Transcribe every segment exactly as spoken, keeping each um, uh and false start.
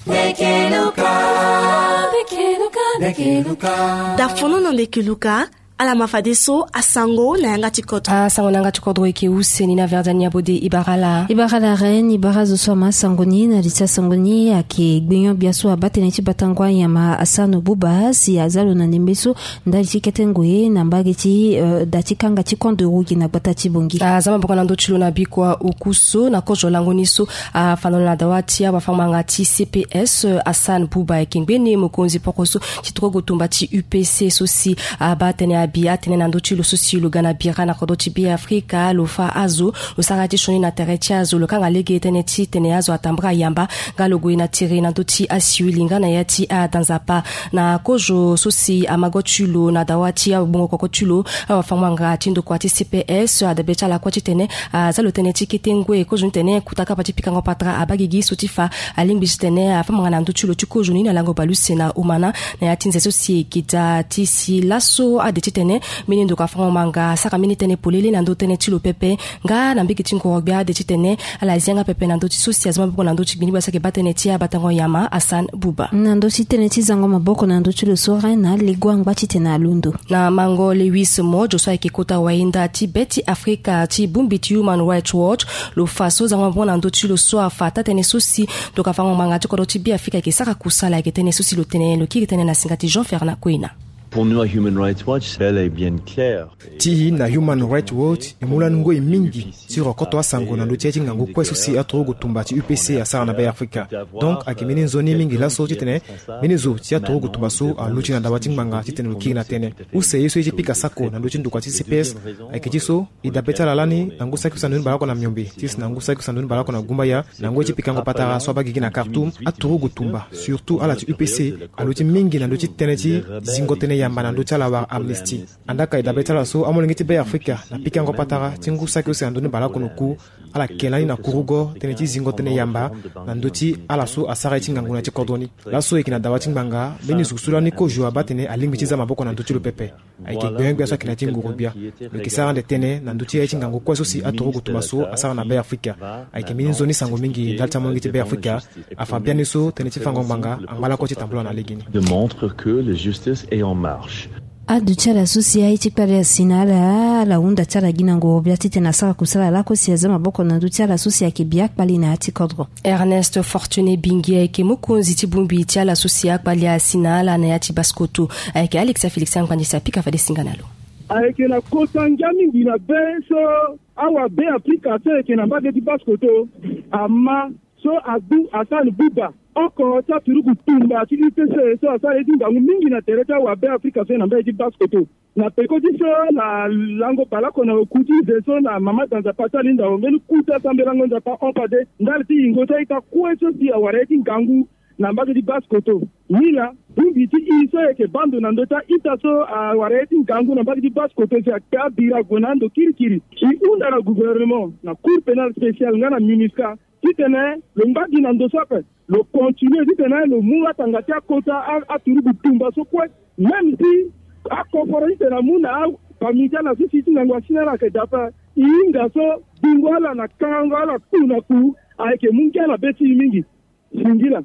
Ndeke Luka. Ndeke Luka, ndeke Luka. Dafono na ndeke Luka. Ala ma fadeso asango na yanga ti kodro. Asango na yanga ti kodro eke use ni na Verdiane Yabode. Ibara ala. Ibara ala reine, ibara azo so ama sango ni. Na li ti asango ni ayeke gbenyo-gbia so abaa tënë ti batango anyama Hassan Bouba si aza lo na ndembe so ndali ti kete ngoi na mbage ti, eh, da ti kanga ti camp de Rougui na gbata ti Bangui. Aza maboko na ndö ti lo na bikua oku so na kozo lango ni so afa na lo na dawa ti awafango-ngbanga ti C P S, eh, Hassan Bouba ayeke ngbeni mokonzi poko so ti turugu tumba ti U P C so si abaa tënë abi atene na ndö ti lo so si lo ga na bira na kodro ti Be Afrika, lo fa azo, lo sara ya ti sioni na tere ti azo, lo kanga lege tënë ti tene azo atambara yamba nga lo gue na tiri na ndö ti asiwili nga na ya ti adanzapa. Na kozo so si amago ti lo na dawa ti abongo koko ti lo, awafango-ngbanga ti ndokua ti C P S, adabe ti ala kue titene aza lo tënë ti kete ngoi. Kozo ni tene kota kapa ti pikango patara abaa gigi so ti fa alingbi titene afa manga na ndö ti lo ti kozo ni na lango baleuse na omana na ya ti nze so si eke daa ti si laso ade titene mbeni ndokua fango-ngbanga asara mbeni tënë polele na ndö tënë ti lo pepe. Nga na mbage ti ngoro-gbia ade titene ala zi yanga pepe na ndö ti so si aza maboko na ndö ti gbini-gbia so ayeke baa tënë ti abatango nyama Hassan Bouba. Na ndö ti tënë ti zango maboko na ndö ti lo so reine, alegua angba titene alondo. Na mango Lewis Modjo so ayeke kota wayenda ti be ti Afrika ti bongbi ti Human Rights Watch, lo fa so zango maboko na ndö ti lo so afa taa-tënë so si ndokua fango-ngbanga ti kodro ti Be Afrika ayeke sara kusala, ayeke tënë so si lo tene, lo kiri tënë na singa ti Jean Fernand Koina. Pour nous, à Human Rights Watch, c'est bel et bien clair. Ti e na Human Rights Watch, e mu lani ngoi mingi ti rokoto asango na ndö ti ya ti ngangu kue so si aturugu tumba ti U P C asara na Be Afrika. Donc ayeke mbeni nzoni mingi laso titene mbeni zo ti aturugu tumba so aluti na dawa ti ngbanga titene lo kiri na tënë. Use ye so ye ti pika sako na ndö ti ndokua ti C P S ayeke ti so e dabe ti ala lani na ngu saki use na ndoni baleoko na miombe ti si na ngu saki use na ndoni baleoko na gumbaya. Na ngoi ti pikango patara so abaa gigi na Khartoum, aturugu tumba, surtout ala ti U P C, aluti mingi na ndö ti tënë ti zingo tënë yamba na ndö ti ala wala amnistie. Andaa ka e dabe ti ala so amolenge ti Be Afrika na pikango patara ti ngu saki use na ndoni baleoko na oku, ala yeke lani na kurugo tënë ti zingo tënë yamba na ndö ti ala so asara ye ti ngangu na ya ti kodro ni. Laso e yeke na dawa ti ngbanga, mbeni zo so lani kozo abaa tene alingbi ti za maboko na ndö ti lo pepe. Ayeke gbenyo-gbia so ayeke na ya ti nguru-gbia. Lo yeke sara ande tënë na ndö ti ya ti ngangu kue so si aturugu tumba so asara na Be Afrika. Ayeke mbeni nzoni sango mingi ndali ti amolenge ti Be Afrika. Afa biani so tënë ti fango ngbanga angba lakue ti tambula na legeni. Démontre que la justice est en marche. Aduti ala so si aye ti kpale asi na ala, ala hunda ti ala gi na nguru-gbia titene asara kusala lakue si aza maboko na ndö ti ala so si ayeke bia kpale na ya ti kodro. Ernest Fortuné Bingi ayeke mokonzi ti bongbi ti ala so si akpale asi na ala na ya ti basse-kotto. Ayeke Alexa Félix Angbandi si apika fade singa na lo. Ayeke na kota ngia mingi na be so awabe Afrika so ayeke na mbage ti basse-kotto ama so agbu Hassan Bouba oko ti aturugu tumba ti U P C so asara ye ti ngangu mingi na tere ti awabe Afrika so ayeke na mbage ti basse-kotto. Na peko ti so na lango baleoko na oku ti nze so na mama danza pasi alinda wo mbeni ku ti asambelango Nzapa hon fade ndali ti yingo ti a-ita kue so si awara ye ti ngangu na mbage ti basse-kotto. Nilaa bongbi ti e so ayeke baa ndo na ndö ti a-ita so awara ye ti ngangu na mbage ti basse-kotto si akpe abira ague na ando kirikiri. E hunda na gouvernement, na Cour pénale spéciale nga na MINUSCA titene lo ngba gi na ndo so ape. Lo continue titene lo mu atanga ti akota a, aturugu tumba so kue. Même si akoforo titene amu na afamille ti ala so si ti ngangu asi na ala ayeke daa ape, e hinga so bingo ala na kangango ala ku na ku ayeke mu ngia na be ti e mingi. Singila.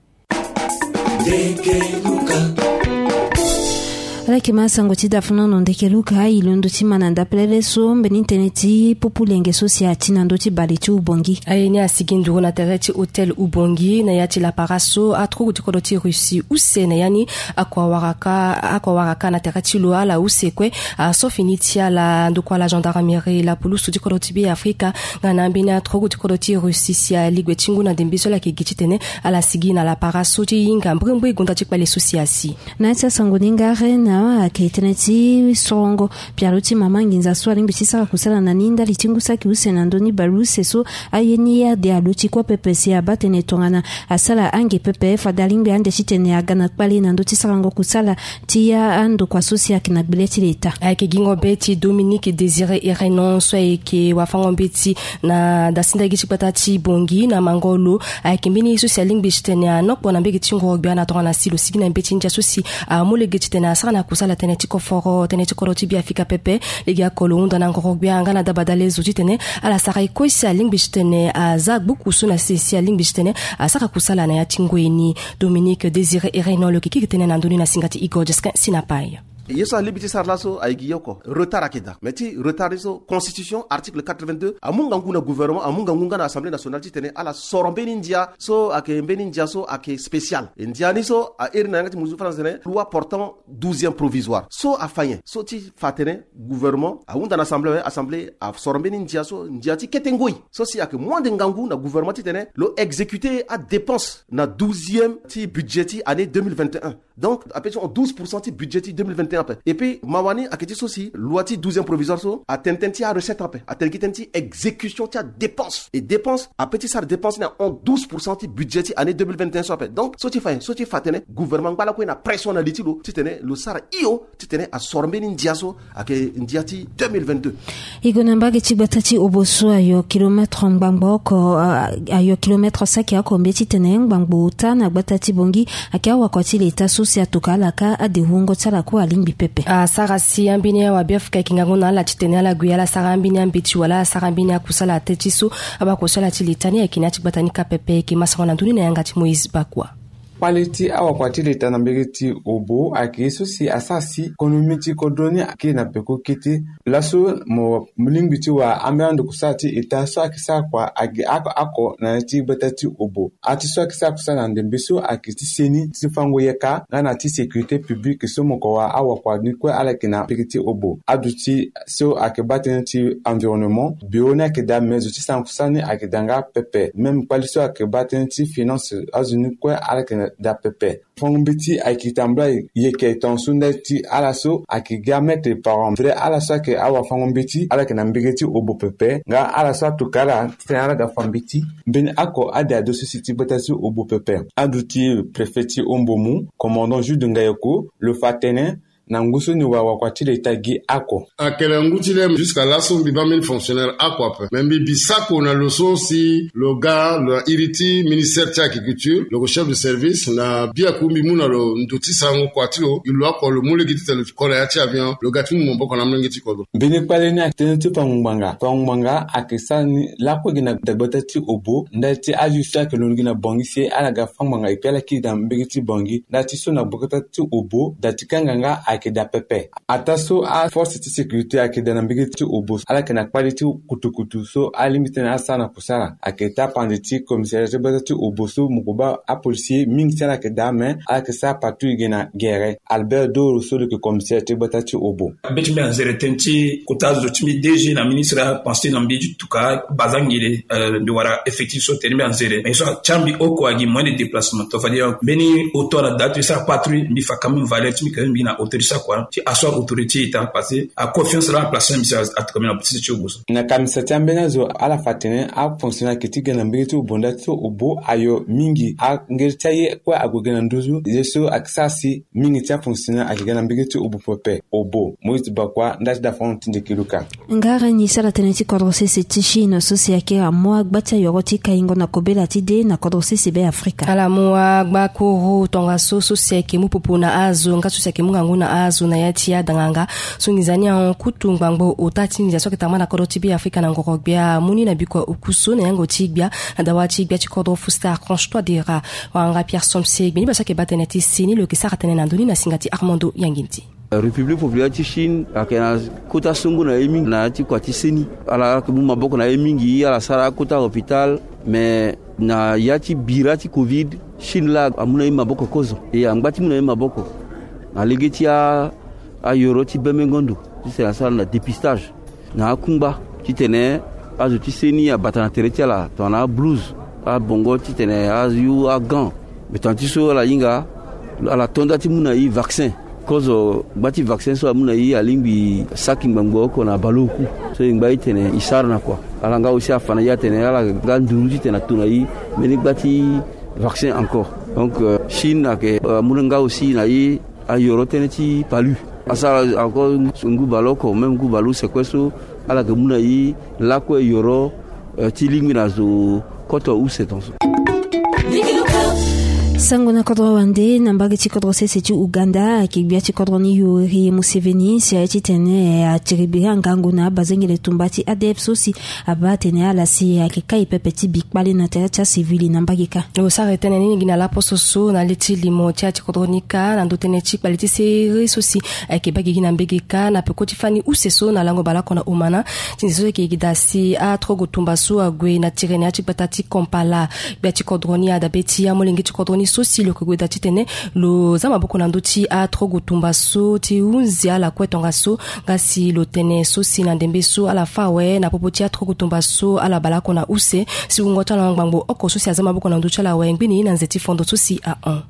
Ala yeke ma sango ti dafono na Ndeke Luka, e londo ti ma na ndapelele so mbeni tënë ti pupu lenge so si ati na ndö ti bale ti Ubongi. Aye ni asigi nduru na tere ti hôtel Ubongi na ya ti lapara so aturugu ti kodro ti Russie use na ya ni. Akua waraka, akua waraka na tere ti lo, ala use kue, aso fini ti ala ndokua la gendarmerie, lapulusu ti kodro ti Be Afrika nga na ambeni aturugu ti kodro ti Russie si aligbe ti ngu na ndembe so ala yeke gi titene ala sigi na lapara so ti hinga mbrimbri gonda ti kpale so si asi. Na ya ti asango ni nga re na ayeke tënë ti sorongo pialo ti mama nginza so alingbi ti sara kusala na ni ndali ti ngu saki use na ndö ni baleuse so aye ni ade aluti kue pepe si abaa tënë tongana asara ange pepe fade alingbi ande titene aga na kpale na ndö ti sarango kusala ti ya andokua so si ayeke na gbele ti leta. Ayeke gingo be ti Dominique Désiré Irenon so ayeke wafango mbeti na dasinda gi ti gbata ti Bongi na mango lo. Ayeke mbeni ye so si alingbi titene anokpo na mbege ti ngoro gbia na tongana si lo sigi na mbeti ndia so si amu lege titene asara na Kusala tënë ti koforo tënë ti kodro ti Beafrika pepe. Lege oko lo hunda na ngoro-gbia nga na dabadale zo titene ala sara e kue si alingbi titene aza gbuku so na sese alingbi titene asara kusala na ya ti ngoi ni. Dominique Désiré Erenon lo yeke kiri tënë na ndö ni na singa ti Igor Jesquin Sinapai. Ye so alingbi ti sara laso ayeke gi ye oko, retard ayeke daa. Mais ti retard ni so, constitution article quatre-vingt-deux amu ngangu na gouvernement, amu ngangu nga na Assemblée nationale titene ala soro mbeni ndia so ayeke mbeni ndia so ayeke spécial. E ndia ni so a iri na yanga ti muzu faranse tene loi portant douzième provisoire. So afa nyen? So ti fa atene gouvernement ahunda na assemblée, assemblée asoro mbeni ndia so, ndia ti kete ngoi so si ayeke mu ande ngangu na gouvernement titene lo exécuter adépense na douzième ti budget ti année deux mille vingt et un. Donc ape ti hon douze pour cent ti budget ti deux mille vingt et un ape. Et puis mawa ni ayeke ti so si loi ti douzième provisoire so atene tënë ti arecette ape, atene gi tënë ti exécution ti adépense. E dépense ape ti sara dépense ni ahon douze pour cent ti budget ti année deux mille vingt et un so ape. Donc so ti fa nyen? So ti fa atene gouvernement angba lakue na pression na li ti lo titene lo sara hio titene asoro mbeni ndia so ayeke ndia ti deux mille vingt-deux. E gue na mbage ti gbata ti Obo so ayo kilomètre ngbangbo oko, a, ayo kilomètre saki oko mbeti tene ngbangbo ota na gbata ti Bongi. Ayeke awakua ti leta so si atuka ala ka ade wungo ti ala kue alingbi pepe. Asara si ambeni awabeafrika ayeke ngangu na ala titene ala gue ala sara ambeni ambeti wala asara ambeni akusala tënë ti so abakusala ti leta ni ayeke na ya ti gbata ni ka pepe. Ayeke masango na ndö ni na yanga ti Moïse Bakua. Kpale ti awakua ti leta na mbege ti Obo ayeke ye so si asara si konomi ti kodro ni akiri na peko kete. Laso mo lingbi ti wara ambeni ando kusala ti eta so ayeke sara kua agi oko oko na ya ti gbata ti Obo. Ati so ayeke sara kusala na ndembe so ayeke ti seni ti fango yeka nga na ti sécurité publique so mo ko wara awakua ni kue ala yeke na mbege ti Obo. Aduti so ayeke baa tënë ti environnement, bureau ni ayeke daa, mais zo ti sara kusala ni ayeke daa nga pepe. Même kpali so ayeke baa tënë ti finance, azo ni kue ala yeke daa pepe. Fango mbeti ayeke tambula yeke tongaso ndali ti ala so ayeke ga maître parent vrai, ala so ayeke awara fango mbeti ala yeke na mbege ti Obo pepe. Nga ala so atuka ala titene ala ga fa mbeti. Mbeni oko ade ado so si ti gbata ti Obo pepe. Aduti préfet ti Ombomu, commandant Jude Ngayoko, lo fa tënë na ngu so ni wara wakua ti leta gi oko. Ayeke na ngu ti le jusqu'à laso mbi baa mbeni fonctionnaire oko ape. Mais mbi bi sako na lo so si lo ga lo na iri ti ministère ti agriculture, lo yeke chef de service. Na biaku mbi mu na lo ndo ti sarango kua ti lo, e lo oko lo mu lege titene lo ko na ya ti avion, lo ga ti mu maboko na amolenge ti kodro. Mbeni kpale ni ayeke tënë ti fango ngbanga. Fango ngbanga ayeke sara ni lakue gi na dagbata ti Obo ndali ti azo so ayeke londo gi na Bongi si ala ga fango ngbanga, et puis ala kiri na mbege ti Bongi ndali ti so na gbata ti Obo da ti kanga nga ayeke daa pepe. Ataa so aforce ti sécurité ayeke daa na mbege ti Obo, ala yeke na kpali ti kutukutu so alingbi titene asara na kusala. Ayeke taa pande ti commissariat ti gbata ti Obo so mo ko baa apolisier mingi ti ala yeke daa, mais ala yeke sara patrouille gi na gere. Albert Doro so lo yeke commissaire ti gbata ti Obo. Be ti mbi anzere tënë ti kota azo ti mbi D G na ministre apense na mbi ti tuka bazangele, euh, mbi wara effectif so tene mbi anzere. Mais so atia mbi oko agi moyen de déplacement. To fadi mbeni auto ala daa ti sara patrouille, mbi fa quand même valeur ti mbi quand même mbi na autorité sara kua ti asseoir autorité ti état parce que aconfiance la aplace mbi sara atuka mbi na ti Obo so. Na kamisa ti ambeni azo ala fa atene afonctionnaire ayeke ti ga na mbege ti Obo ndali ti so Obo ayo mingi. Angere ti aye kue ague ga na nduzu. Ye so ayeke sara si mingi ti afonctionnaire ayeke ga na mbege ti Obo pepe. Obo, Moïse Bakua, ndali ti dafango ti Ndeki Luka. Ngara ni sara tënë ti kodro sese ti Chine so si ayeke amu agba ti ayoro ti kaingo na kobela ti de na kodro sese Beafrika. Ala mu agba kuru tongaso so si ayeke mu popo na azo nga so si ayeke mu ngangu na azo na ya ti adanganga. So nginza ni ahon kutu ngbangbo ota ti nginza so ayeke tamba na kodro ti Beafrika na ngoro gbia amu ni na bikua oku so na yango ti gbia na dawa ti gbia ti kodro Faustin Archange Touadéra. Wanganga Pierre Somse gbeni baa so ayeke baa tënë ti seni lo yeke sara tënë na ndö ni na singa ti Armando Yangindi. République populaire ti Chine ayeke na kota songo na ye mingi na ya ti kua ti seni. Ala yeke mu maboko na ye mingi, ala sara akota hôpital, mais na ya ti bira ti covid, Chine laa amu na ye maboko kozo. E angba ti mu na ye maboko na lege ti a, ayoro ti bembengo ndo titene asara na dépistage na akungba titene azo ti seni abata na tere ti ala tongana ablouse, abongo titene ayu agant. Mais tongana ti so ala hinga, ala to nda ti mu na e vaccin. Kozo gba ti vaccin so amu na e alingbi saki ngbangbo oko na baleoku. So e ngba e tene e sara na kua. Ala nga aussi afa na e atene ala nga nduru titene ato na e mbeni gba ti vaccin encore. Donc, euh, Chine ayeke, euh, amu na nga aussi na e ayoro tënë ti palu. Asara encore ngu baleoko, même ngu baleuse kue so ala yeke mu na e lakue yoro, euh, ti lingbi na zo koto use tongaso. Sango na kodro wande na mbage ti kodro sese ti Uganda ayeke gbia ti kodro ni Yoweri Museveni si aye titene atiri biri angangu na abazengele tumba ti A D F so si abaa atene ala si ayeke kai pepe ti bi kpale na tere ti asivili na mbage kâ. Lo sara tënë ni gi na laposo so na le ti limo ti aya ti kodro ni kâ na ndo tënë ti kpale ti sere so si ayeke baa gigi na mbage kâ na peko ti fani use so na lango baleoko na omana. Ti nze so ayeke gi daa si atrogo tumba so ague na tiri na ya ti gbata ti Kampala. Gbia ti kodro ni adabe ti amolenge ti kodro ni so si lo yeke gue daa titene lo za maboko na ndö ti atrogo tumba so ti hunzi ala kue tongaso. Nga si lo tene so si na ndembe so ala fâ awe na popo ti atrogo tumba so ala baleoko na use si wungo ti ala ngbangbo oko so si aza maboko na ndö ti ala awe ngbeni na nze ti fondo so si ahon.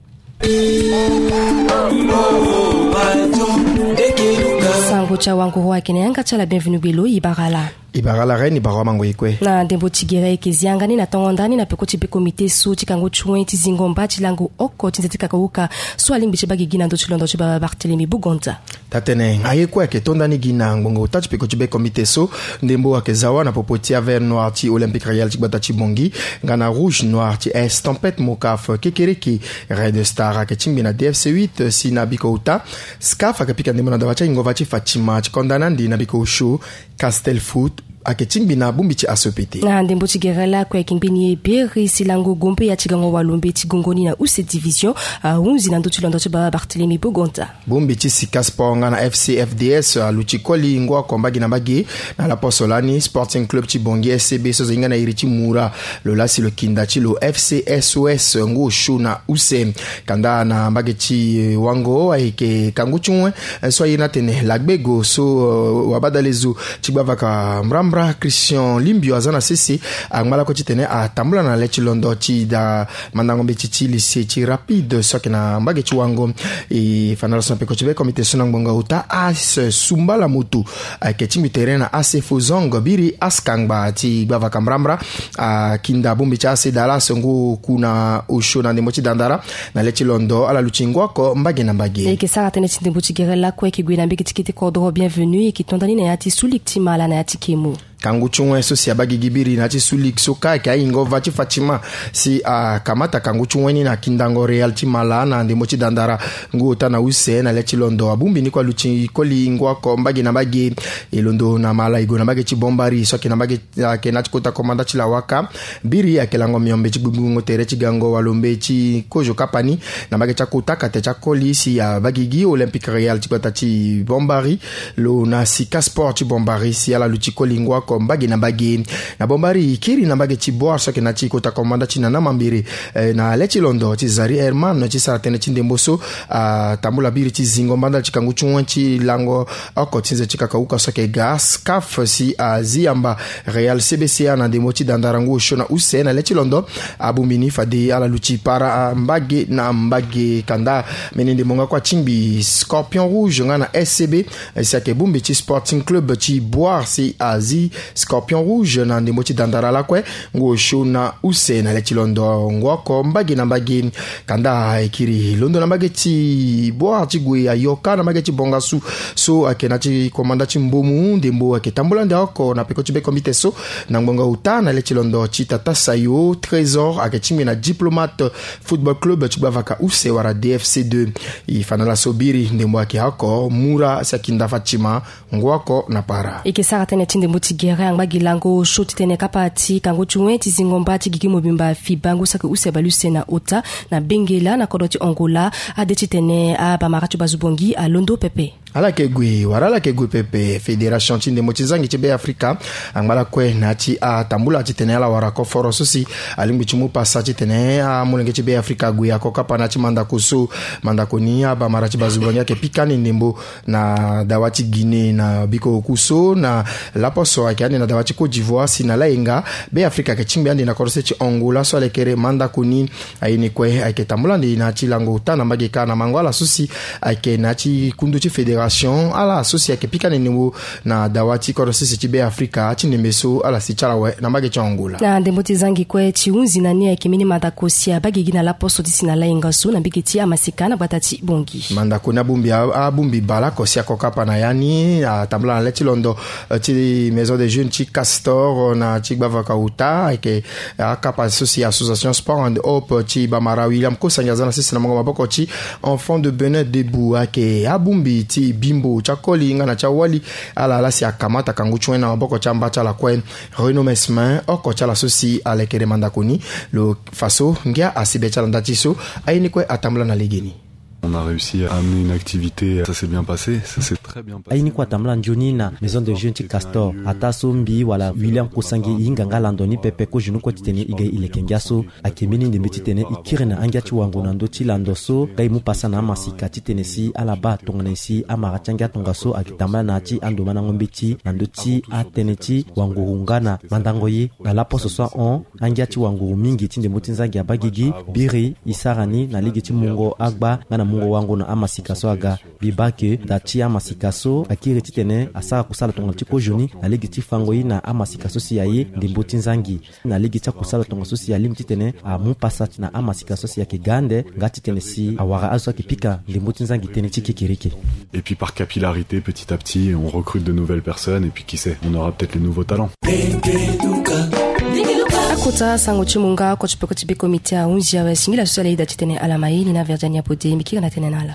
Sango ti awanguru ayeke na yanga ti ala. Bienvenu gbe lo, e bara ala. E bara ala reine, e bara wamango e kue. Na ndembo ti gere e yeke zi yanga ni na tongo ndani na peko ti be komite so ti kango ti wen ti zingo mba ti lango oko ti nze ti kakauka so alingbi ti baa gigi na ndö ti londo ti baba Barthélemy Bugonza. Taa-tënë, aye kue ayeke to ndani gi na ngbongo ota ti peko ti be komite so. Ndembo ayeke za wâ na popo ti avert noir ti Olympique Royal ti gbata ti Bangui nga na rouge noir ti Estampette Mocaf. Kekereke Red Star ayeke tingbi na D F C huit si na biko ota. SCAF ayeke pika ndembo na dawa ti ahingo va ti Fatima ti konda na ande na biko osio. Castel Foot ayeke tingbi na bongbi ti A S O P T. Na ndembo ti gere lakue ayeke ngbeni e beri si lango gombe ya ti gango walombe ti gongo ni na use division ahunzi na ndö ti londo ti baba Barthélemy Bugonza. Bongbi ti Sika Sport nga na F C F D S aluti koli ngu oko mbage na mbage. Na laposo lani Sporting Club ti Bangui S C B so zo hinga na iri ti Mura lo laa si lo kinda ti lo F C S O S ngu osio na use. Kanda na mbage ti wango ayeke kangu ti wen so aye ni atene lagbego so wabadalezo ti gbavaka mbrambra Christian Limbio aza na sese angba lakue titene atambula na le ti londo ti da mandango mbeti ti lycée ti Rapide so ayeke na mbage ti wango. E fa na lo so na peko ti be komite so na ngbonga ota As Sumbala Moto ayeke tingbi tere na A C Fozong biri As Kangba ti gbavaka mbrambra akinda bongbi ti A C Dallas ngu oku na osio na ndembo ti dandara. Na le ti londo ala luti ngu oko mbage na mbage. E yeke sara tënë ti ndembo ti gere lakue e yeke gue na mbage ti kete kodro Bienvenu e yeke to ndani na ya ti Sulik ti Mala na ya ti Kemo. Kangu ti wen so si abaa gigi biri na ya ti Sulik so kâ ayeke ahingo va ti Fatima si akamata kangu ti wen ni na kindango Real ti Mala na ndembo ti dandara ngu ota na use na le ti londo abongbi ni kue aluti koli ngu oko mbage na mbage. E londo na Mala e gue na mbage ti Bombari so ayeke na mbage ayeke na ya ti kota komanda ti Lawaka. Biri ayeke lango miombe ti gbingbingo tere ti gango walombe ti kozo kapa ni na mbage ti akota kate ti akoli si abaa gigi Olympique Royal ti gbata ti Bombari lo na Sika Sport ti Bombari si ala luti koli ngu oko mbage na mbage. Na Bombari e kiri na mbage ti Boar so ayeke na ya ti kota komanda ti Nana Mambere. Eh, na le ti londo ti Zari Herman ti sara tënë ti ndembo so atambula biri ti zingo mbandala ti kangu ti wen ti lango oko ti nze ti kakauka so ayeke ga SCAF si azi yamba Real C B C A na ndembo ti dandara ngu osio na use na le ti londo. Abongbi ni fade ala luti para mbage na mbage kanda. Mbeni ndembo nga kue atingbi Scorpion Rouge nga na S C B si ayeke bongbi ti Sporting Club ti Boar si azi Scorpion Rouge na ndembo ti dandara lakue ngu osio na use na le ti londo ngu oko mbage na mbage. Kanda e kiri londo na mbage ti Boar ti gue ayo kâ na mbage ti Bongasu so ayeke na ya ti komanda ti Mbomu ndembo ayeke tambula ndia oko na peko ti be komite so. Na ngbonga ota na le ti londo ti Tata Sayo Trésor ayeke tingbi na Diplomate Football Club ti gbavaka use wala D F C deux. E fa na ala so biri ndembo ayeke oko Mura si akinda Fatima ngu oko na para. E yeke sara tënë ti ndembo ti gere angba gi lango osio titene kapa ti kangu ti wen ti zingo mba ti gigi mobimba FIBA ngu saki use baleuse na ota na Bengela na kodro ti Angola ade titene abamara ti bazu bongi alondo pepe. Ala yeke gue wala ala yeke gue pepe. Fédération ti ndembo ti zangi ti Be Afrika angba lakue na ya ti atambula titene ala wara koforo so si alingbi ti mu pasa titene amolenge ti Be Afrika ague ako kapa na ya ti mandako so. Mandako ni abamara ti bazu bongi ayeke pika ni ndembo na dawa ti Guinée na biko oku so na laposo ayeke ande na dawa ti Côte d'Ivoire si na layenga Be Afrika ayeke tingbi ande na kodro se ti Angola so alekere mandako ni. Aye ni kue ayeke tambula ande na ya ti lango ota na mbage kâ na mango ala so si ayeke na ya ti kundu ti fédération Ration ala so si ayeke pika nene wo na dawa ti kodro sese ti Be Afrika ti ndembe so ala si ti ala awe na mbage ti Angola. Na ndembo ti zangi kue ti hunzi na ni ayeke mbeni mandako si abagigi na laposo ti si na layenga so na mbage ti amaseka na gbata ti Bongi. Mandako ni abongbi abongbi baleoko si ako kapa na ya ni atambula na le ti londo ti Maison des Jeunes ti Castor na ti gbavaka uta ayeke akapa so si association Sport and Hope ti Bamara William Kosangi aza na sese na mongo maboko ti Enfant de Benin Debout ayeke abongbi ti bimbo ti akoli nga na ti awali ala ala si akamata kangu ti wen na maboko ti amba ti ala kue. Renaud Mesmin oko ti ala so si alekere mandako ni lo fa so ngia asi be ti ala nda ti so aye ni kue atambula na legeni. On a réussi à amener une activité, ça s'est bien passé, ça s'est très bien passé. Aye ni kue atambula nzoni na Maison de Jeunes ti Castor, ataa so mbi wala William Kosangi e hinga nga lando ni pepe kozoni kue titene e ga e leke ngia so. Ayeke mbeni ndembe titene e kiri na angia ti wango na ndö ti lando so nga e mu pasa na amasika titene si ala baa tongana nyen si amara ti angia tongaso ayeke tambula na ya ti ando mandango mbeti na ndö ti atënë ti wanguru nga na mandango ye. Na laposo so ahon angia ti wanguru mingi ti ndembo ti nzangi abagigi, biri e sara ni na lege ti mungo agba nga na mungo wango na amasika so aga. Mbi baa ke da ti amasika so akiri titene asara kusala tongana ti kozoni na lege ti fango ye na amasika so si aye ndembo ti nzangi. Na lege ti akusala tongaso si alingbi titene amu pasa na amasika so si ayeke ga ande nga titene si awara azo so ayeke pika ndembo ti nzangi tënë ti kekereke. Et puis par capillarité, petit à petit, on recrute de nouvelles personnes et puis qui sait, on aura peut-être les nouveaux talents. Akota sango ti mu nga oko ti peko ti be komite ahunzi awe singila so si ala yeda titene ala ma ye ni na Virginia Bode mbi kiri na tënë na ala.